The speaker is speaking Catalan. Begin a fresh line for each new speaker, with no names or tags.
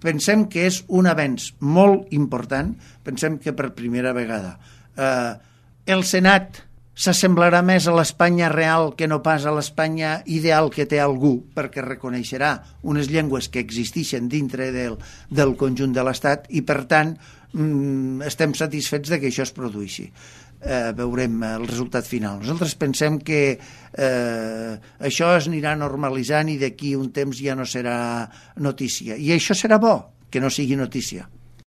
pensem que és un avenç molt important, pensem que per primera vegada el Senat s'assemblarà més a l'Espanya real que no pas a l'Espanya ideal que té algú, perquè reconeixerà unes llengües que existeixen dintre del conjunt de l'Estat i, per tant, estem satisfets de que això es produeixi. Veurem el resultat final. Nosaltres pensem que això es anirà normalitzant i d'aquí un temps ja no serà notícia. I això serà bo, que no sigui notícia.